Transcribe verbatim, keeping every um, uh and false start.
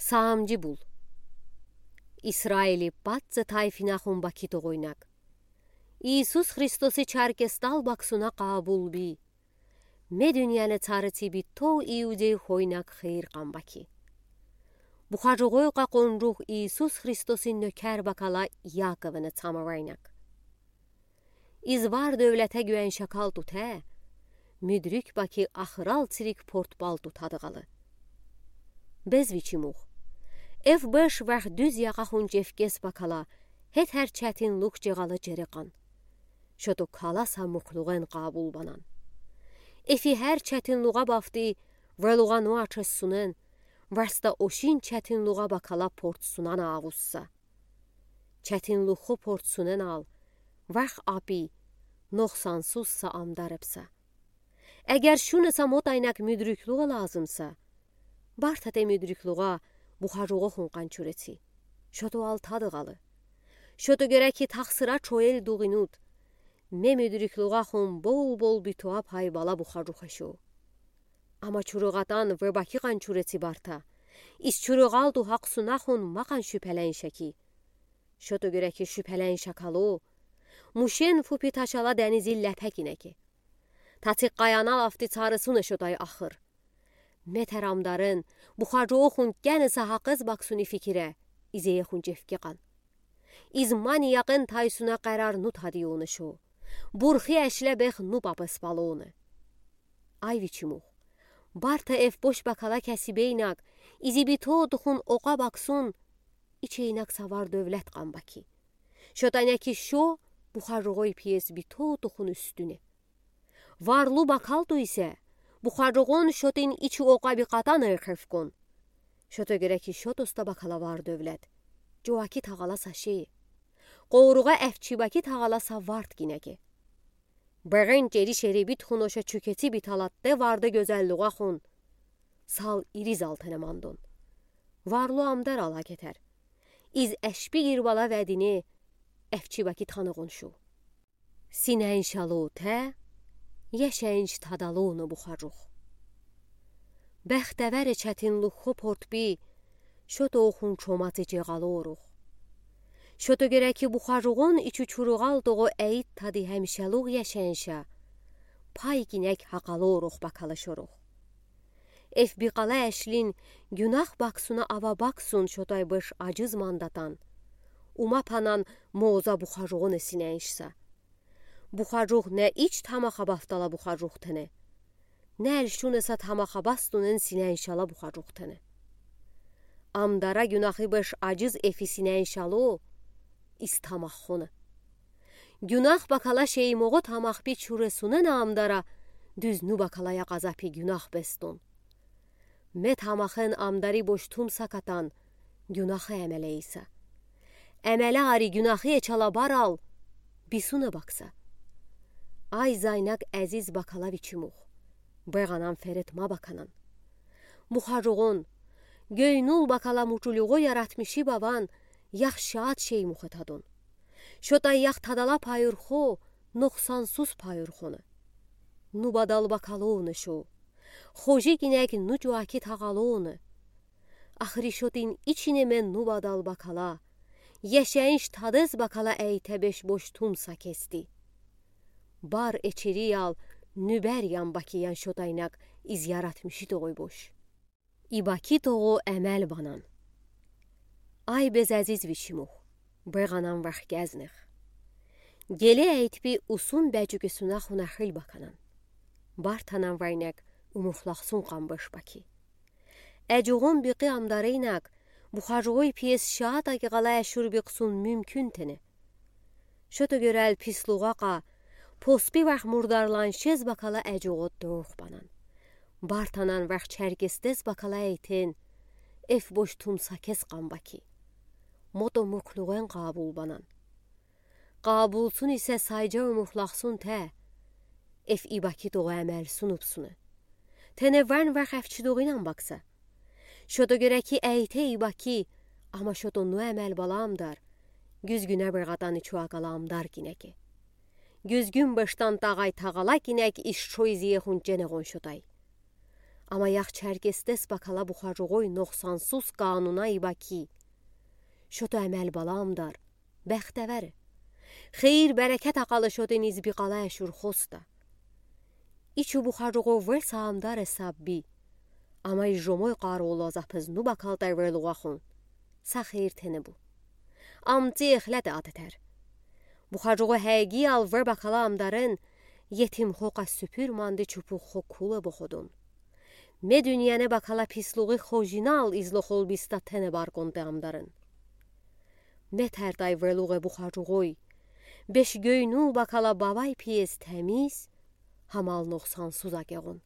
Саамджи бул. Исраили патци тайфинахун бакита гойнак. Иисус Христоси чаркестал баксуна къабулби. Ме дуьньяны царици битов иудей хойнак хийир кан баки. Бухажугой къакъунжух Иисус Христосин нёкер бакала Яковыны цамавайнак. Из вар-дёвлете гуьен шакал тутэ, муьдрюк баки ахырал цирик портбал тутады галы. Без вичи мух. Эф беш варх дуьз яхахун чевкес бакала, хетер четинлух чегалы черекан. Шото каласа муклугъен къабул банан. Эфи хер четинлугъа бафти, врелугъа нуачес сунен, варста ошин четинлугъа бакала портсунана авусса. Четинлухо портсуненал, варх апи, нокъсансузса амдар эпса. Эгер шуныса мотайнак муьдрюклугъа лазымса, барта те муьдрюклугъа бухажугъохун къанчурети. Шото алтады галы. Шото гереки тахсыра чоэл дугъинуд. Ме муьдрюклугъахун бол-бол битуа пай бала бухажух эшо. Ама чуругъатан ве баки къанчурети барта. Из чуругъалду хакъсунахун макан шуьпелен шаки. Шото гереки шуьпелен шакало, мушен фупи ташала денизил лепе кинеки. Татик къаянал афти царысуна шотай ахыр. Метер амдарын, бухажугъохун кени сахакъыз баксуни фикире, изеехун чевкекан. Из мани якъын тайсуна къарар ну тадиона шо. Бурхи эшле бех ну папес палона. Ай вичи мух. Барта эф бош бакала кеси бейнак, изи битотухун окъа баксун, ичейнак са вар-дёвлет къан баки. Шотанаки шо бухажугъой пиес битотухун уьстуне. Варлу бакалту исе, бухажугъон шотин ичи окъа бикъатана эхефкон. Шото гереки шотоста бакала вар-дёвлет. Чуваки тагъала са ши. Къоругъа эфчи баки тагъала са варт кинеки. Бегъен чери шерибит хуноша чуькети биталатте варда гёзеллугъа хун. Сал ириз алтене мандон. Варлу амдар ала кетер. Из эшпи гирбала ведине эфчи баки таныгъон шу. Синеншало те, ешенш тадалона бухажух. Бехтевери четинлухо портби, шотохун чомати чегъалорух. Шото гереки бухажугъон ичи чуругъал тогъо эйт тади хемшелух ешенша, пай кинек хакъалорух бакала шорух. Эф бикъала эшлин гюнах баксуна ава баксун шотай беш аджиз мандатан. Ума панан моза бухажугъон синеншса. Бухажух не ич тамаха бафтала бухажух тене. Не эльшунеса тамаха бастунен синеншала бухажух тене. Амдара гюнахи беш аджиз эфи синеншало, из тамаххона. Гюнах бакала шеймогъо тамахпи чуресунена амдара, дуьз ну бакала якъазапи гюнах бестун. Ме тамахен амдари бош тумса катан, гюнахи эмеле иса. Эмеле ари гюнахи эчала барал, бисуна бакса. Ай зайнак эзиз бакала вичи мух. Бегъанан ферет ма баканан. Бухажугъон, гёйнул бакала мучулюгъо яратмиши баван, ях шад шеймух этадон. Шотай ях тадала пайурхо, нокъсансуз пайурхона. Ну бадал бакалона шо. Хожи кинек ну чуаки тагъалона. Ахри шотин ичине ме ну бадал бакала. Ешенш тадез бакала эйте беш бош тумса кести. Бар эчериял, нюбер ян баки ян шотайнак из яратмиши тогъой бош. И баки тогъо эмел банан. Ай без эзиз вичи мух, бегъанан варх гезнех. Геле эйтпи усун бечугесуна хунахил баканан. Бартанан вайнек умухлахсун къамбеш баки. Эджугъун бикъи амдаринак, бухажугъой пиес шаат акигалай эшур бикъсун мюмкюн тене. Шото гёрел пислугъа къа, поспи варх мурдарлан шез бакала эджугъо дорх банан. Бартанан варх чергестез бакала эйтен, эф бош тумса кес къамбаки. Мото мурклугъен къабул банан. Къабулсун исе сайджа умухлахсун те, эф и баки тогъо эмелсун упсуна. Тене ван варх эфчи дугъинан бакса. Шото гереки эйте и баки, ама шото ну эмел бала амдар. Гюзгюне бегъатан ичуа кала амдар кинеки. Гюзгюн бештан тагъай тагъала кинек ишчо изие хунчене гъон шотай. Амма яхчаркестес бакала бухаруғой ноқсансуз кануна иба ки: шото эмел бала амдар, бахтавар, хейир-берекет акъалы шотын из би къалай ашур хоста. Ичу бухаруғо вир са амдар эсаб би. Амай жомой къаролаза пызну бакалтай верлуғахун са хейир тенебу. Амти эхлет атетер. Бухаруғо хагиял вир бакала амдарен етим хокъа супур манди чупух хокуле боходун. Ме дуниене бакала пислуғи хожинал излохол биста тене барконте амдарен. Ме тартай верлуғе бухаруғой. Беш гёйнул бакала бавай пиес тамиз, хамал ноқсансуз агеғун.